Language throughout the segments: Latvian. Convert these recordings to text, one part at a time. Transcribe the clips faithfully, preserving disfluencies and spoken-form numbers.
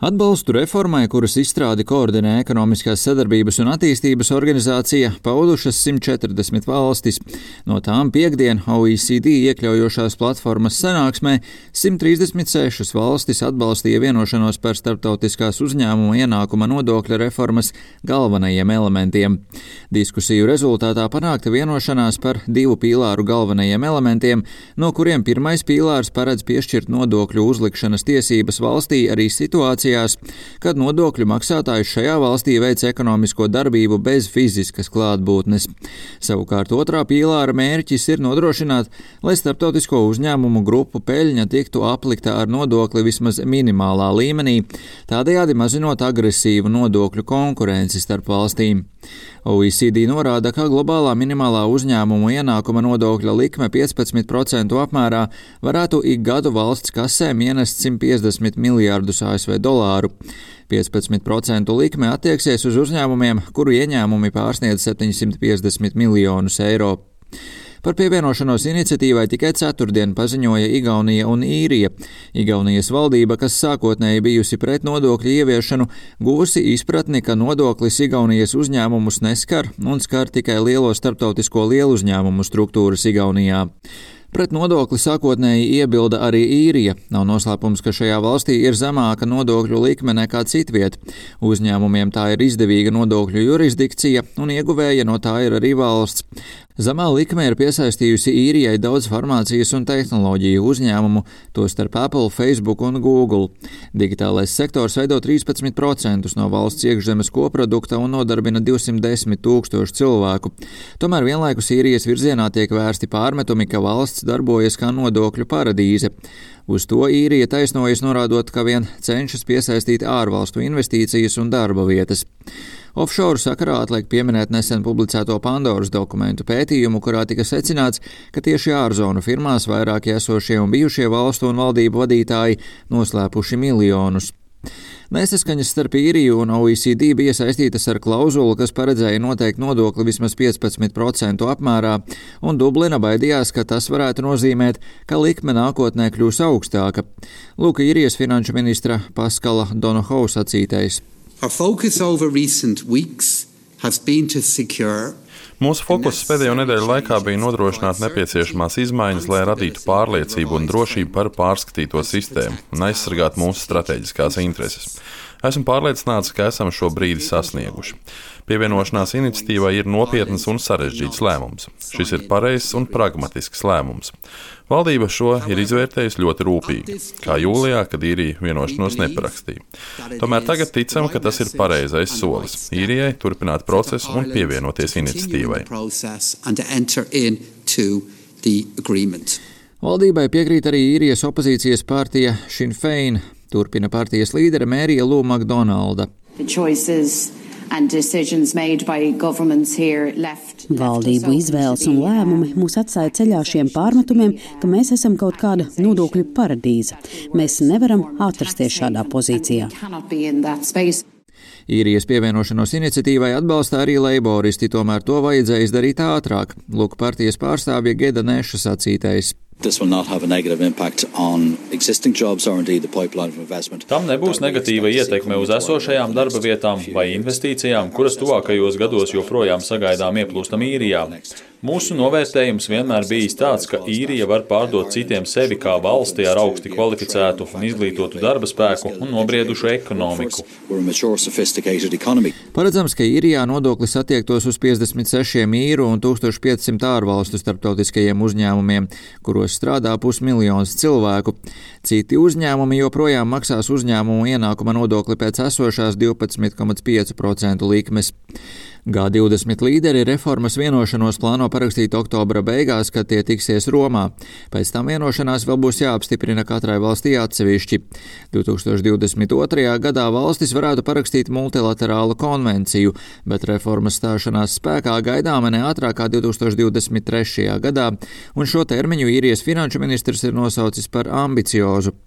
Atbalstu reformai, kuras izstrādi koordinē Ekonomiskās sadarbības un attīstības organizācija, paudušas simt četrdesmit valstis. No tām piekdien O E C D iekļaujošās platformas sanāksmē simt trīsdesmit sešas valstis atbalstīja vienošanos par starptautiskās uzņēmuma ienākuma nodokļa reformas galvenajiem elementiem. Diskusiju rezultātā panākta vienošanās par divu pīlāru galvenajiem elementiem, no kuriem pirmais pīlārs paredz piešķirt nodokļu uzlikšanas tiesības valstī arī situācijā, kad nodokļu maksātājs šajā valstī veic ekonomisko darbību bez fiziskas klātbūtnes. Savukārt otrā pīlāra mērķis ir nodrošināt, lai starptautisko uzņēmumu grupu peļņa tiktu aplikta ar nodokli vismaz minimālā līmenī, tādējādi mazinot agresīvu nodokļu konkurenci starp valstīm. O E C D norāda, ka globālā minimālā uzņēmumu ienākuma nodokļa likme piecpadsmit procentu apmērā varētu ik gadu valsts kasēm ienest simt piecdesmit miljārdus A S V dolāru. piecpadsmit procentu likme attieksies uz uzņēmumiem, kuru ieņēmumi pārsniedz septiņsimt piecdesmit miljonus eiro. Par pievienošanos iniciatīvai tikai ceturtdien paziņoja Igaunija un Īrija. Igaunijas valdība, kas sākotnēji bijusi pret nodokļu ieviešanu, guvusi izpratni, ka nodoklis Igaunijas uzņēmumus neskar un skar tikai lielo starptautisko lieluzņēmumu struktūras Igaunijā. Pret nodokli sākotnēji iebilda arī Īrija. Nav noslēpums, ka šajā valstī ir zemāka nodokļu likme nekā citviet. Uzņēmumiem tā ir izdevīga nodokļu jurisdikcija, un ieguvēja no tā ir arī valsts. Zemā likme ir piesaistījusi Īrijai daudz farmācijas un tehnoloģiju uzņēmumu, tostarp Apple, Facebook un Google. Digitālais sektors veido trīspadsmit procentus no valsts iekšzemes koprodukta un nodarbina divsimt desmit tūkstošu cilvēku. Tomēr vienlaikus Īrijas virzienā tiek vērsti pārmetumi, ka valsts darbojas kā nodokļu paradīze. Uz to Īrija taisnojas, norādot, ka vien cenšas piesaistīt ārvalstu investīcijas un darba vietas. Offshore sakarā atliek pieminēt nesen publicēto Pandoras dokumentu pētījumu, kurā tika secināts, ka tieši ārzonu firmās vairāki esošie un bijušie valstu un valdību vadītāji noslēpuši miljonus. Nesaskaņas starp Īriju un O E C D bija saistītas ar klauzulu, kas paredzēja noteikt nodokli vismaz piecpadsmit procentu apmērā, un Dublina baidījās, ka tas varētu nozīmēt, ka likme nākotnē kļūs augstāka. Lūk, Īrijas finanšu ministra Paskala Donohoe sacītais. Our focus over recent weeks has been to secure Mūsu fokus pēdējo nedēļu laikā bija nodrošināt nepieciešamās izmaiņas, lai radītu pārliecību un drošību par pārskatīto sistēmu un aizsargātu mūsu strateģiskās intereses. Esmu pārliecināts, ka esam šo brīdi sasnieguši. Pievienošanās iniciatīvai ir nopietns un sarežģīts lēmums. Šis ir pareizs un pragmatisks lēmums. Valdība šo ir izvērtējusi ļoti rūpīgi, kā jūlijā, kad Īrija vienošanos neparakstīja. Tomēr tagad ticam, ka tas ir pareizais solis Īrijai turpināt procesu un pievienoties iniciatīvai. Valdībai piekrīt arī Īrijas opozīcijas partija Sinn Féin, turpina partijas līdere Mērija Lū Makdonalda. Valdību izvēles un lēmumi mūs atstāja ceļā šiem pārmetumiem, ka mēs esam kaut kāda nodokļu paradīze. Mēs nevaram atrasties šādā pozīcijā. Īrijas pievienošanos iniciatīvai atbalsta arī leiboristi, tomēr to vajadzēja izdarīt ātrāk. Lūk, partijas pārstāvja Geda Neša sacītais. Tam nebūs negatīva ietekme uz esošajām darba vietām vai investīcijām, kuras tuvākajos gados joprojām sagaidām ieplūstam Īrijā. Mūsu novērtējums vienmēr bijis tāds, ka Īrija var pārdot citiem sevi kā valsti ar augsti kvalificētu un izglītotu darba spēku un nobriedušu ekonomiku. Paredzams, ka Īrijā nodoklis attiektos uz piecdesmit sešiem īru un tūkstoš piecsimt ārvalstu starptautiskajiem uzņēmumiem, kuros strādā pusmiljons cilvēku. Citi uzņēmumi joprojām maksās uzņēmumu ienākuma nodokli pēc esošās divpadsmit komats pieci procentu likmes. G divdesmit līderi reformas vienošanos plāno parakstīt oktobra beigās, kad tie tiksies Romā. Pēc tam vienošanās vēl būs jāapstiprina katrai valstī atsevišķi. divtūkstoš divdesmit otrajā gadā valstis varētu parakstīt multilaterālu konvenciju, bet reformas stāšanās spēkā gaidāma ne ātrāk kā divtūkstoš divdesmit trešajā gadā, un šo termiņu Īrijas finanšu ministrs ir nosaucis par ambiciozu.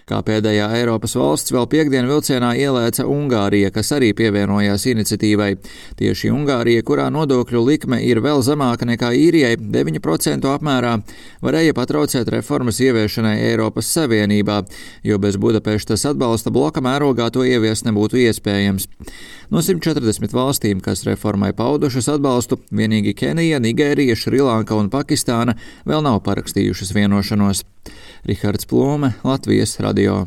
Kā pēdējā Eiropas valsts vēl piekdien vilcienā ielēca Ungārija, kas arī pievienojās iniciatīvai. Tieši Ungārija, kurā nodokļu likme ir vēl zemāka nekā Īrijai, deviņu procentu apmērā, varēja patraucēt reformas ieviešanai Eiropas Savienībā, jo bez Budapeštas atbalsta bloka mērogā to ieviest nebūtu iespējams. No simt četrdesmit valstīm, kas reformai paudušas atbalstu, vienīgi Kenija, Nigērija, Šrilanka un Pakistāna vēl nav parakstījušas vienošanos. Rihards Plome, Latvijas radio.